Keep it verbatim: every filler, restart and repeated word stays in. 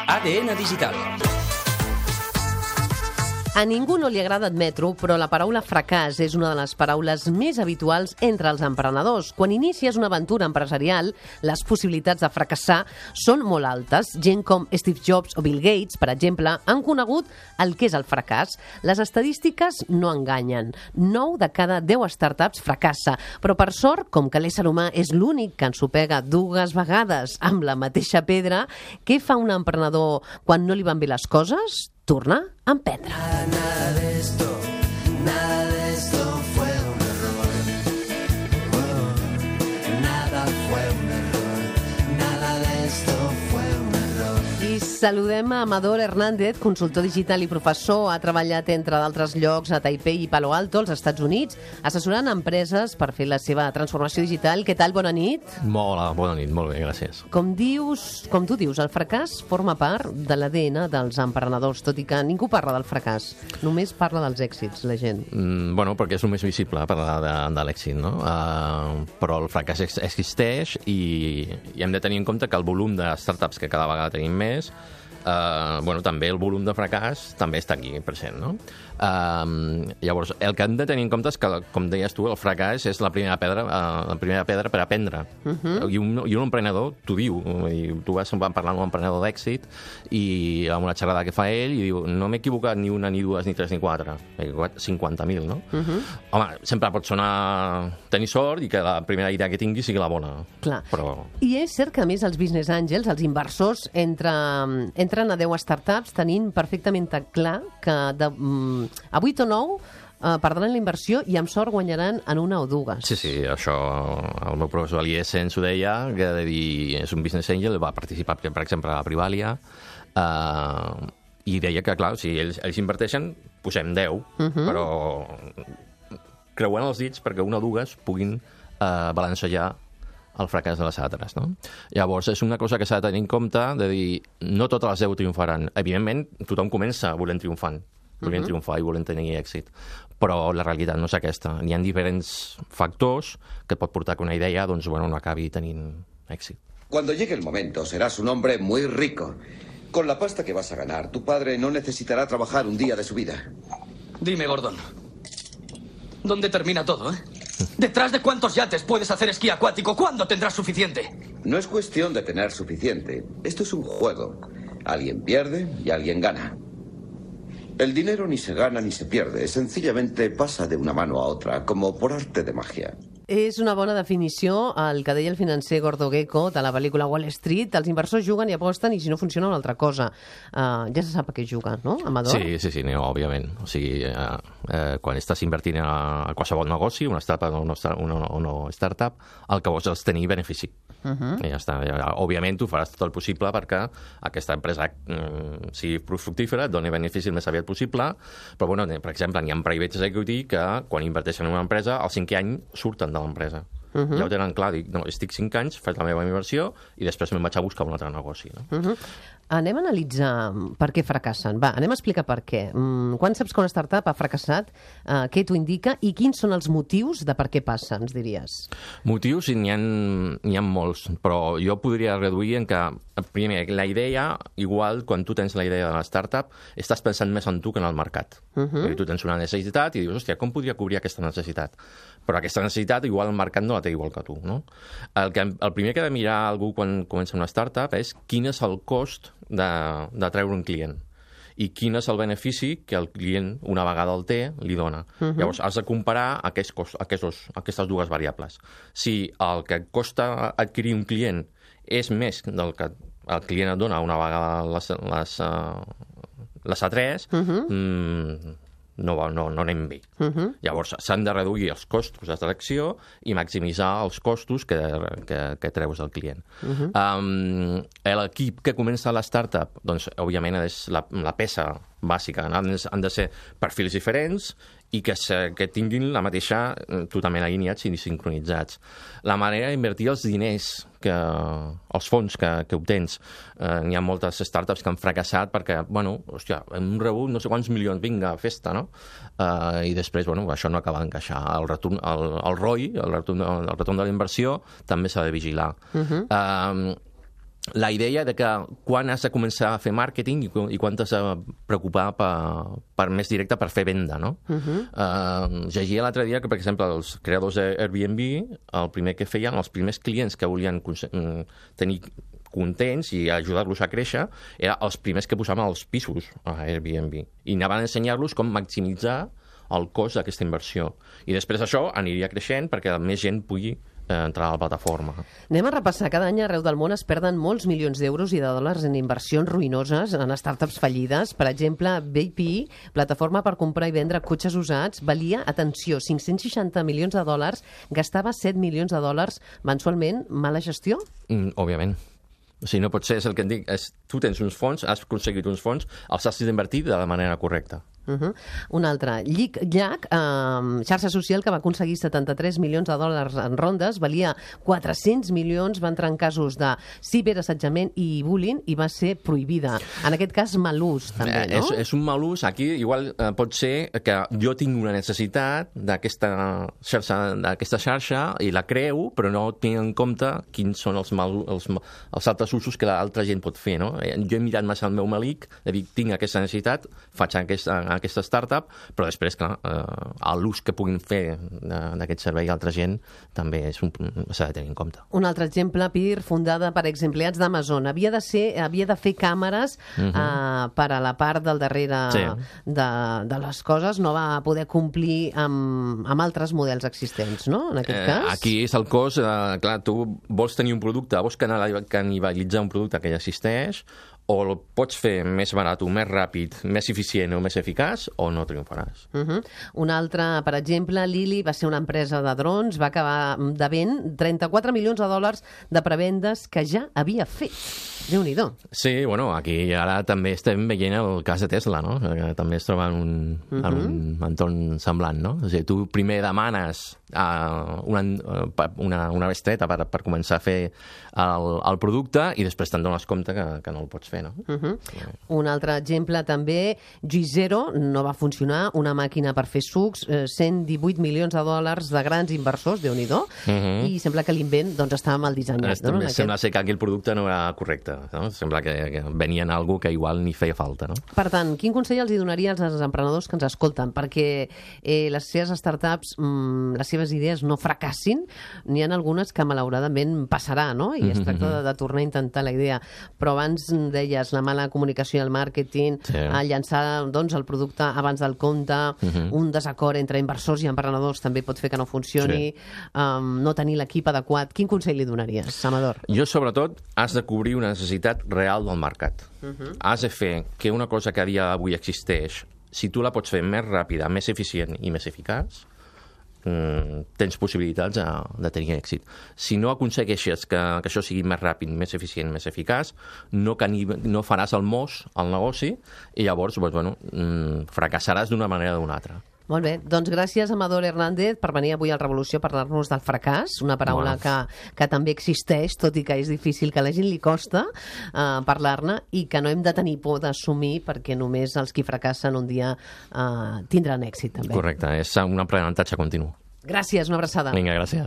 A D N Digital. A ningú no li agrada admetre-ho, però la paraula fracàs és una de les paraules més habituals entre els emprenedors. Quan inicies una aventura empresarial, les possibilitats de fracassar són molt altes. Gent com Steve Jobs o Bill Gates, per exemple, han conegut el que és el fracàs. Les estadístiques no enganyen. nou de cada deu startups fracassa. Però, per sort, com que l'ésser humà és l'únic que ensopega dues vegades amb la mateixa pedra, què fa un emprenedor quan no li van bé les coses? Tornar a emprendre. Nada de esto, nada de esto fue un error. Oh, nada fue un error, nada de esto fue un error. I saludem a Amador Hernández, consultor digital i professor. Ha treballat, entre d'altres llocs, a Taipei i Palo Alto, als Estats Units, assessorant empreses per fer la seva transformació digital. Què tal? Bona nit. Molt bona nit, molt bé, gràcies. Com dius, com tu dius, el fracàs forma part de l'A D N dels emprenedors, tot i que ningú parla del fracàs. Només parla dels èxits, la gent. Mm, bueno, perquè és el més visible parlar de, de l'èxit, no? Uh, però el fracàs ex existeix i, i hem de tenir en compte que el volum de startups que cada vegada tenim més, Uh, bueno, també el volum de fracàs també està aquí present, no? Uh, llavors, el que hem de tenir en compte és que, com deies tu, el fracàs és la primera pedra, uh, la primera pedra per aprendre. Uh -huh. I, un, I un emprenedor t'ho diu. I tu vas parlar amb un emprenedor d'èxit i amb una xerrada que fa ell i diu, no m'he equivocat ni una, ni dues, ni tres, ni quatre. M'he equivocat cinquanta mil, no? Uh -huh. Home, sempre pot sonar tenir sort i que la primera idea que tingui sigui la bona. Clar. Però... I és cert que, a més, els business angels, els inversors, entre, entren a deu startups tenint perfectament clar que de, mm, a vuit o nou Uh, perdran la inversió i amb sort guanyaran en una o dues. Sí, sí, això el meu professor Alié ens ho deia, que de dir, és un business angel, va participar, per exemple, a la Privalia, uh, i deia que, clar, si ells, ells inverteixen, posem deu, uh -huh. però creuen els dits perquè una o dues puguin uh, balancejar el fracàs de les altres, no? Llavors, és una cosa que s'ha de tenir en compte, de dir, no totes les deu triomfaran. Evidentment, tothom comença volent triomfant, volent uh -huh. triomfar i volent tenir èxit. Però la realitat no és aquesta. Hi ha diferents factors que pot portar que una idea doncs, bueno, no acabi tenint èxit. Cuando llegue el momento, serás un hombre muy rico. Con la pasta que vas a ganar, tu padre no necesitará trabajar un día de su vida. Dime, Gordon, ¿dónde termina todo, eh? ¿Detrás de cuántos yates puedes hacer esquí acuático? ¿Cuándo tendrás suficiente? No es cuestión de tener suficiente. Esto es un juego. Alguien pierde y alguien gana. El dinero ni se gana ni se pierde. Sencillamente pasa de una mano a otra, como por arte de magia. És una bona definició el que deia el financer Gordo Gecko de la pel·lícula Wall Street. Els inversors juguen i aposten i si no funciona una altra cosa. Uh, ja se sap a què juguen, no, Amador? Sí, sí, sí, no, òbviament. O sigui, uh, uh, quan estàs invertint a, a qualsevol negoci, una startup o una, una, una startup, el que vols és tenir benefici. Uh -huh. I ja està. Ja, òbviament, tu faràs tot el possible perquè aquesta empresa mm, sigui fructífera, et doni benefici el més aviat possible, però, bueno, per exemple, hi ha private equity que, quan inverteixen en una empresa, al cinquè any surten de l'empresa. Uh -huh. Ja ho tenen clar, dic, no, estic cinc anys, faig la meva inversió i després me'n vaig a buscar un altre negoci. No? Uh -huh. Anem a analitzar per què fracassen. Va, anem a explicar per què. Mm, quan saps que una startup ha fracassat, uh, què t'ho indica i quins són els motius de per què passa, ens diries? Motius n'hi ha, n'hi ha molts, però jo podria reduir en que, primer, la idea, igual, quan tu tens la idea de la startup, estàs pensant més en tu que en el mercat. Uh -huh. Tu tens una necessitat i dius, hòstia, com podria cobrir aquesta necessitat? Però aquesta necessitat, igual, el mercat no la té igual que tu, no? El, que, el primer que ha de mirar algú quan comença una startup és quin és el cost de, de treure un client i quin és el benefici que el client, una vegada el té, li dona. Uh -huh. Llavors, has de comparar aquests cost, aquests, aquestes dues variables. Si el que costa adquirir un client és més del que el client et dona una vegada les, les, uh, les A tres, uh -huh. mm, no, no, no anem bé. Uh -huh. Llavors, s'han de reduir els costos d'atracció i maximitzar els costos que, que, que treus del client. Uh -huh. um, L'equip que comença la startup, doncs, òbviament, és la, la peça bàsica. Han, han de ser perfils diferents i que, se, que tinguin la mateixa, totalment alineats i sincronitzats. La manera d'invertir els diners, que, els fons que, que obtens, eh, n'hi ha moltes startups que han fracassat perquè, bueno, hòstia, hem rebut no sé quants milions, vinga, festa, no? Eh, I després, bueno, això no acaba d'encaixar. El, retorn, el, el R O I, el retorn, el retorn de la inversió, també s'ha de vigilar. Uh-huh. Eh, la idea de que quan has de començar a fer màrqueting i, i quan t'has de preocupar per, per més directe per fer venda, no? Uh-huh. Uh, llegia l'altre dia que, per exemple, els creadors d'Airbnb, el primer que feien, els primers clients que volien tenir contents i ajudar-los a créixer, eren els primers que posaven els pisos a Airbnb. I anaven a ensenyar-los com maximitzar el cost d'aquesta inversió. I després això aniria creixent perquè més gent pugui entrar a la plataforma. Anem a repassar. Cada any arreu del món es perden molts milions d'euros i de dòlars en inversions ruïnoses en startups fallides. Per exemple, B P I, plataforma per comprar i vendre cotxes usats, valia, atenció, cinc-cents seixanta milions de dòlars, gastava set milions de dòlars mensualment. Mala gestió? Mm, òbviament. O sigui, no pot ser, és el que et dic, és, tu tens uns fons, has aconseguit uns fons, els has d'invertir de la manera correcta. Uh -huh. Un altre, Llic Llac, eh, xarxa social que va aconseguir setanta-tres milions de dòlars en rondes, valia quatre-cents milions, va entrar en casos de ciberassetjament i bullying i va ser prohibida. En aquest cas, mal ús, també, no? Eh, és, és un mal ús. Aquí igual eh, pot ser que jo tinc una necessitat d'aquesta xarxa, d'aquesta xarxa i la creo, però no tinc en compte quins són els, mal, els, els altres usos que l'altra gent pot fer, no? Jo he mirat massa el meu malic, he dit, tinc aquesta necessitat, faig aquesta aquesta startup, però després, clar, eh, l'ús que puguin fer d'aquest servei a altra gent també s'ha de tenir en compte. Un altre exemple, P I R, fundada per exempleats d'Amazon. Havia de ser, havia de fer càmeres uh -huh. eh, per a la part del darrere sí. de, de les coses, no va poder complir amb, amb altres models existents, no?, en aquest eh, cas. Aquí és el cost, eh, clar, tu vols tenir un producte, vols canibalitzar un producte que ja existeix, o el pots fer més barat, més ràpid, més eficient o més eficaç, o no triomfaràs. Uh -huh. Un altre, per exemple, Lily va ser una empresa de drons, va acabar devent trenta-quatre milions de dòlars de prevendes que ja havia fet. Déu-n'hi-do. Sí, bueno, aquí ara també estem veient el cas de Tesla, no?, que també es troba en un, uh -huh. en un entorn semblant, no? O sigui, tu primer demanes uh, una, una, una bestreta per, per començar a fer el, el producte i després te'n dones compte que, que no el pots fer. No? Uh -huh. Un altre exemple també, Juicero no va funcionar, una màquina per fer sucs, eh, cent divuit milions de dòlars de grans inversors, Déu-n'hi-do, uh -huh. i sembla que l'invent doncs, estava mal dissenyat. No? Aquest... Sembla ser que aquí el producte no era correcte, no? Sembla que, que venien algo que igual ni feia falta. No? Per tant, quin consell els hi donaries als emprenedors que ens escolten perquè eh, les seves startups, mm, les seves idees no fracassin? N'hi ha algunes que malauradament passarà, no? I es tracta de, de tornar a intentar la idea. Però abans deia la mala comunicació i el màrqueting, sí. a llançar doncs, el producte abans del compte, uh -huh. un desacord entre inversors i emprenedors també pot fer que no funcioni, sí. um, no tenir l'equip adequat. Quin consell li donaries, Amador? Jo, sobretot, has de cobrir una necessitat real del mercat. Uh -huh. Has de fer que una cosa que a dia d'avui existeix, si tu la pots fer més ràpida, més eficient i més eficaç, tens possibilitats de, de tenir èxit. Si no aconsegueixes que, que això sigui més ràpid, més eficient, més eficaç, no, no faràs el mos al negoci i llavors doncs, bueno, fracassaràs d'una manera o d'una altra. Molt bé, doncs gràcies Amador Hernández per venir avui al Revolució a parlar-nos del fracàs, una paraula bueno. que, que també existeix, tot i que és difícil, que a la gent li costa uh, parlar-ne i que no hem de tenir por d'assumir perquè només els qui fracassen un dia uh, tindran èxit també. Correcte, és un aprenentatge continu. Gràcies, una abraçada. Vinga, gràcies.